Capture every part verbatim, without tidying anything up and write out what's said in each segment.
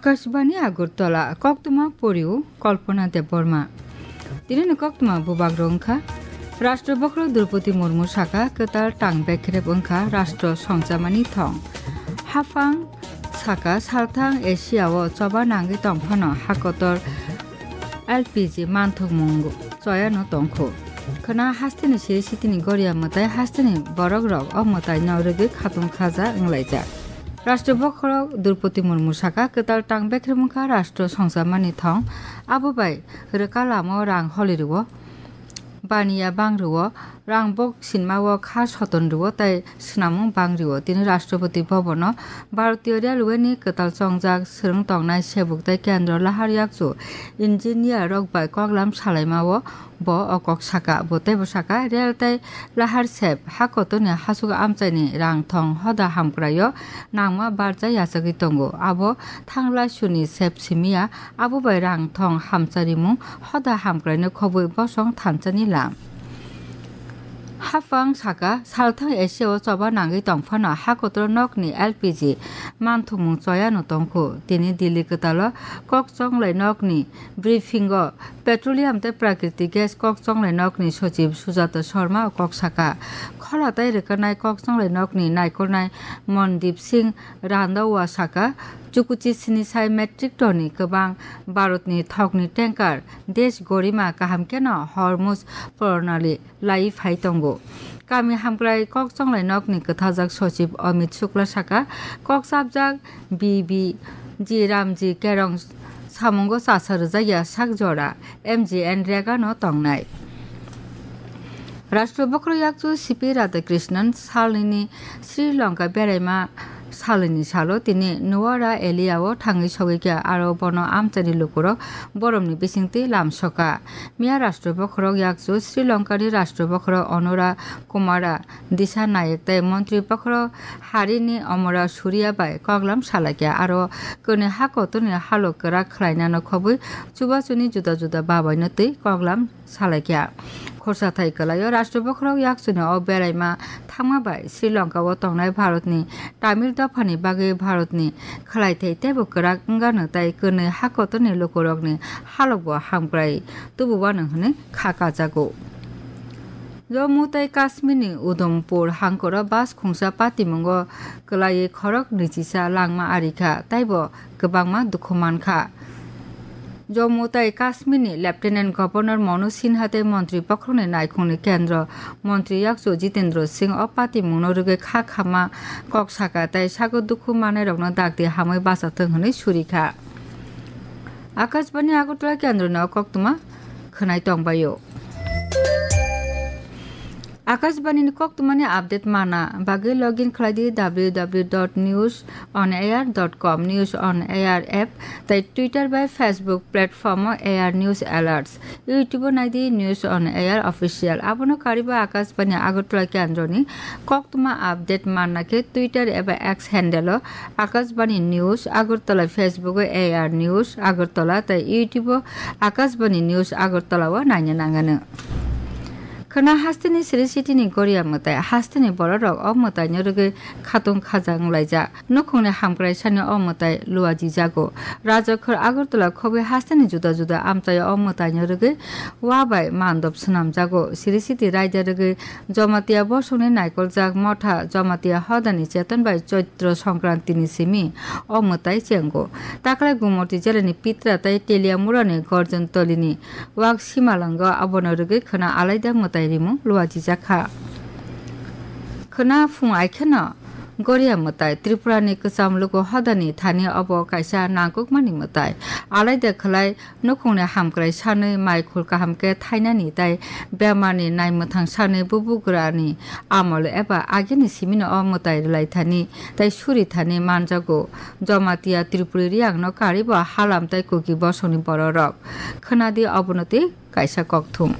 Akashbani Agartala, koktwma poriu Kalpana Debbarma. Tinini koktwma bubak rok wngkha, Rashtra Bokhorok Droupadi Murmu saka kwtal tang bekrep wngkha rashtra songchamani thong. Haphang saka salthang Asia o choba nangwi tongphano hakotor L P G manthokmung choyano tongkho. Khwna hasteni siri sitini goria mwtai hasteni borok rok o mwtai no rwgwi khatung khaja wnglaijak. Rashtra Bokhorok Droupadi Murmu saka kwtal tang bekrep wngkha rashtra songchamani thong, abo bai rwka lama o rang holi rwo, baniya bang rwo, rang bok sinma o kha soton rwo tei swnamung bang rwo. Tini Rashtrapati Bhavan o Bharatiya Railway ni kwtal chongjak swrwng tongnai sebuk tei kendro lahar yakchu engineer rok bai koklam salaima o bo o kok saka. Bo teibo saka, rail tei lahar sep ha kotorni hasuk amchaini rang thong hoda hamkraio nangma barja yachagwi tongo. Abo thanglai suni sep simiya, abo bai rang thong hamcharimung hoda hamkraino khobwi bosong thanchani lam. Haphang saka, salthang Asia o choba nangwi tongphano hakotoro nokni L P G manthokmung choyano tongkho. Tini Delhi kwtalo kok chonglai nokni briefing o petroleum tei prakriti gas kok chonglai nokni sochib Sujata Sharma o kok saka. Khola tei rwkanai kok chonglai nokni naikolnai Mondip Singh Randhawa saka, chukuchi sini sai metric ton ni kwbang Bharatni thokni tanker Desh Gorima kaham kheno Hormuz Pranali lai phai tongo. Kami hamkrai kok chonglai nokni kwthajak sochib Amit Shukla saka, kok chapjak B B G Ramji Kerong samungo chasa rwjakya sak jora M G N Rega no tongnai. Rashtra Bokhorok yakchu C P Radhakrishnan salnini Sri Lanka beraima salini salo tini Nuwara Eliya o thangwi sogwi kha, aro bono amchaini lukurok boromni bisingtwi lamsoka. Miya Rashtra Bokhorok yakchu Sri Lankani Rashtra Bokhorok Onura Kumara Disanayak tei Montri Bokhorok harini Omora Suriya bai koklam salaikha, aro kwnwi ha kotorni halok kwrak khlainano khobwi chubachuni juda juda babaino twi koklam salaikha. Khorsa thai kwlaio Rashtra Bokhorok yakchuni o beraima thangma bai Sri Lanka o tongnai Bharatni Tamil dophani bagwi Bharatni khwlaithai teibo kwrak wngano tei kwnwi ha kotorni lukurokni halokbo hamkrai tububano hwnwi kha kajago. Jammu tei Kashmirni Udhampur hangkoro bus khungsa patimungo kwlaiwi khorok nwichisa langma arikha, teibo kwbangma dukhu mankha. Jammu tei Kashmirni Lieutenant Governor Manu Sinha tei Montri Bokhorokni naikhungni kendro Montri yakchu Jitendra Singh o patimungno rwgwi kha khama kok saka tei sago dukhu manairokno dakti hamwi bachathwng hwnwi surikha. Akashbani Agartala kendroni o koktwma khwnai tongbaio. Akashbani ni koktwmani update mana bagwi login khlai di W W W dot news on air dot com, News on Air app tei Twitter bai Facebook platform o A R News Alerts, YouTube o nai di News on Air Official. Abono kariba Akashbani Agartala kendroni koktwma update manna khe Twitter eba X handle o Akashbani News Agartala, Facebook o A R News Agartala tei YouTube o Akashbani News Agartala o naina nangano. Khwna hasteni siri sitini goria mwtai, hasteni bororok o mwtaino rwgwi khatung khaja wnglaijak. Nukhungni hamkrai sani o mwtai luajijago. Rajakhor Agartala khobwi hasteni juda juda amchaio o mwtaino rwgwi wa bai mandop swnamjago. Siri siti raida rwgwi Jamatia bosongni naikoljak motha Jamatia hodani cheton bai Choitro Songkrantini simi o mwtai chengo. Taklai Gumoti jelani Pitra tei Teliamurani Gorjontolini wak simalwngo, abono rwgwi khwna alaida mwtai rimung luajijakha. Khwna phung aikheno goria mwtai, Tripurani kwcham luku hodani thani obo kaisa nangkukmani mwtai. Alaida khwlai nukhungni hamkrai sanwi mai khul kaham khe thainani tei bemarni naimwthang sanwi bubugrani amol eba agini simino o mwtai rwlaithani tei surithani manjago. Jamatia Tripuri Riyangno karibo Halam tei Kuki bosongni bororok. Khwnadi obono tei kaisa kokthum.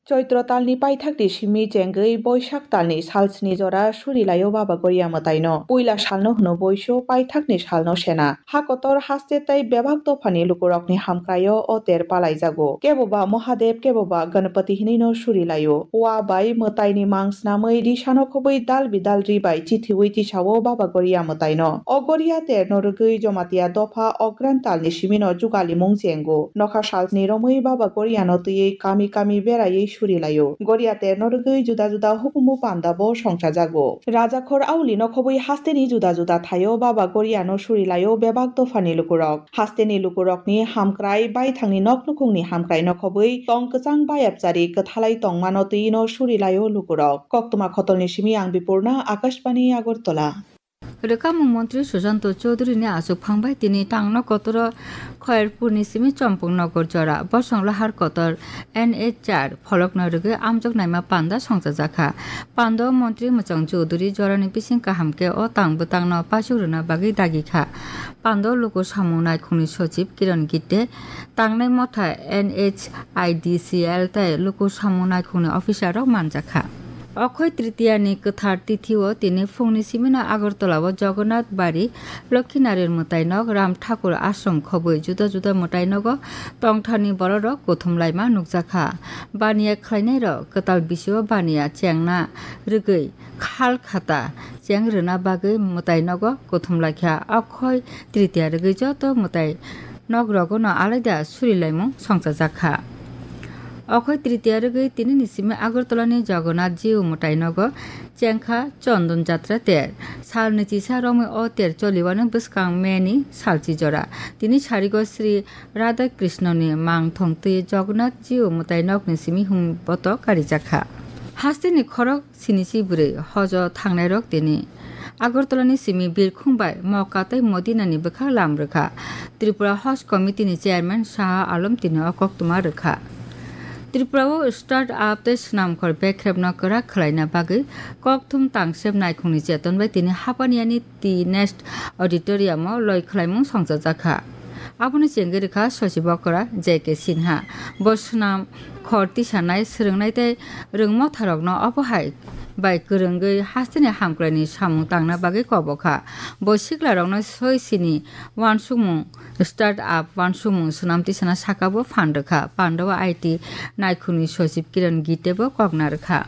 Choitro talni paithakni simi chengwi Boisak talni salsni jora surilaio Baba Goria mwtaino. Puila salno hwno boiso, paithakni salno sena. Ha kotor haste tei bebak dophani lukurokni hamkraio o ter palaijago. Keboba Mahadev, keboba Ganapati hinwino surilaio. Wa bai mwtaini mang snamwi risano khobwi dal bidal ri bai chithiwi tisao Baba Goria mwtaino. O Goria terno rwgwi Jomatia dopha Ogran talni simino jugalimung chengo. Nokha salni romwi Baba Goriano twiwi kami kami beraiwi surilaio. Goria terno rwgwi juda juda hukumu pandabo songchajago. Rajakhor aulino khobwi hasteni juda juda thaio Baba Goriano surilaio bebak dophani lukurok. Hasteni lukurokni hamkrai, baithangni nok nukhungni hamkrai no khobwi tong kwchang bayapchari kwthalai tongmano twino surilaio lukurok. Koktwma khotolni simi ang Bipurna, Akashbani Agartala. Rwkhamung montri Susanto Chowdhury ni achukphang bai tini tangno kotoro Khairpur ni simi Chompong Nogor jora bosong lahar kotor N H char pholokno rwgwi amjok naima panda songchajakha. Pando montri Mwchang Chowdhury jorani bising kaham khe o tang bwtangno paisuk rwna bagwi dagikha. Pando luku samung naikhungni sochib Kiran Gitte, tangnai motha N H I D C L tei luku samung naikhungni officer rok manjakha. Okhoi Tritiya ni kwthar tithi o tini phungni simino Agartala o Jagannath Bari, Lokhinaryan mwtai nok, Ram Thakur Ashram khobwi juda juda mwtai nogo tongthani borok rok kuthum laima nukjakha. Baniya khlainai rok kwtal bisio baniya chengna rwgwi khal khata cheng rwna bagwi mwtai nogo kuthum laikha. Okhoi Tritiya rwgwi joto mwtai nok rogo no alaida surilaimung songchajakha. Okhoi Tritiya rwgwi tinini simi Agartala ni Jagannath Jiu mwtai nogo chengkha Chondon Jatra ter. Sal nwichisa romwi o ter choliwano bwskang May ni salchi jora. Tini sarigo Sri Radha Krishna ni mangthong twi Jagannath Jiu mwtai nokni simi hum boto karijakha. Hasteni khorok sinichi bwrwi hojo thangnairok tini Agartala ni simi birkhung bai Moka tei Modina ni bwkhak lam rwkha. Tripura Haj Committee ni chairman Shaha Alam tini o koktwma rwkha. Tripura o start up tei swnamkhor bekrepno kwrak khwlaina bagwi kokthum tangsep naikhungni cheton bai tini Hapaniani T Nest Auditorium o loi khwlaimung songchajakha. Abono chengwi rwkha Sochib okra J K Sinha. Bo swnam khor tisanai, swrwngnai tei rwngmotharokno obo hai bai kwrwngwi hasteni hamkraini samung tangna bagwi kobokha. Bo siklarokno soi sini uansukmung, start up uansukmung swnam tisana sakabo phan rwkha. Pandao I T naikhungni sochib Kiran Gitte bo kokna rwkha.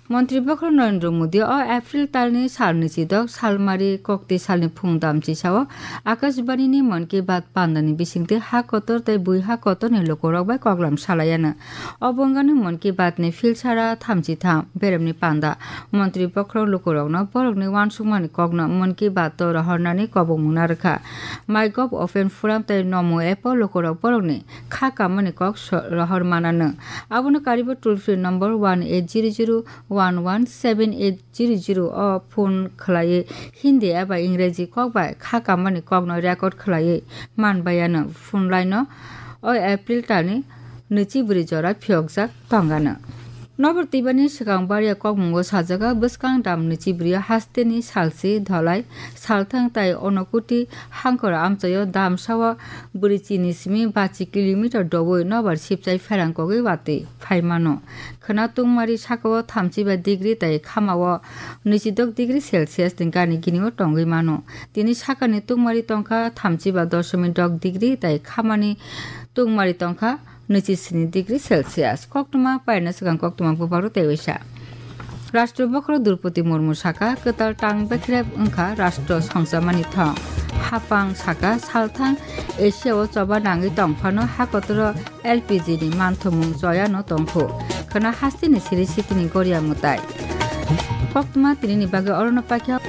Montri bokhorok Narendra Modi o April talni sal nwichidok salmari kokti salni phung damchisao Akashbani ni Mann Ki Baat pandani bisingtwi ha kotor tei bui ha kotorni lukurok bai koklam salaiano. Obo wngkha Mann Ki Baat ni philsara thamchi tham beremni panda. Montri bokhorok lukurokno borokni uansukmani kokno Mann Ki Baat o rohornani kobokmung narwkha. MyGov Open Forum tei Namo app o lukurok borokni kha kamani kok so-, rohor mananw. Abono karibo toll free number one eight zero zero one one seven eight zero zero o phone khwlaiwi Hindi eba Ingreji kok bai kha kamani kokno record khwlaiwi manbaiano. Phone line o o April talni nwichi bwrwi jora phiyokjak tongano. Nobor twibani swkang Baria kokmungo sajagao bwskang dam nwichi bwrwi hasteni salsi Dholai, Salthang tai Onokuti hangkor amchaio damsao bwrwi chini simi bachi kilometer doui nobar sipchai pherang kogwi watwi phaimano. Khwna tungmari sakao thamchiba degree tai khamao nwichidok degree Celsius ni gani ginio tongwi mano. Tini sakani tungmari tongkha thamchiba doshomik dok degree tai khamani tungmari tongkha nwichi sini degree Celsius. Koktwma paina swkang koktwma bubaro tei waisa. Rashtra bokhorok Droupadi Murmu saka, kwtal tang bekrep wngkha rashtra songchamani thong. Hapang saka, salthang Asia o choba nangwi tongphano ha kotoro L P G ni manthomung choyano tongkhu. Khwna hasteni siri sitini goria mwtai. Koktwma tinini bagwi orono paikha.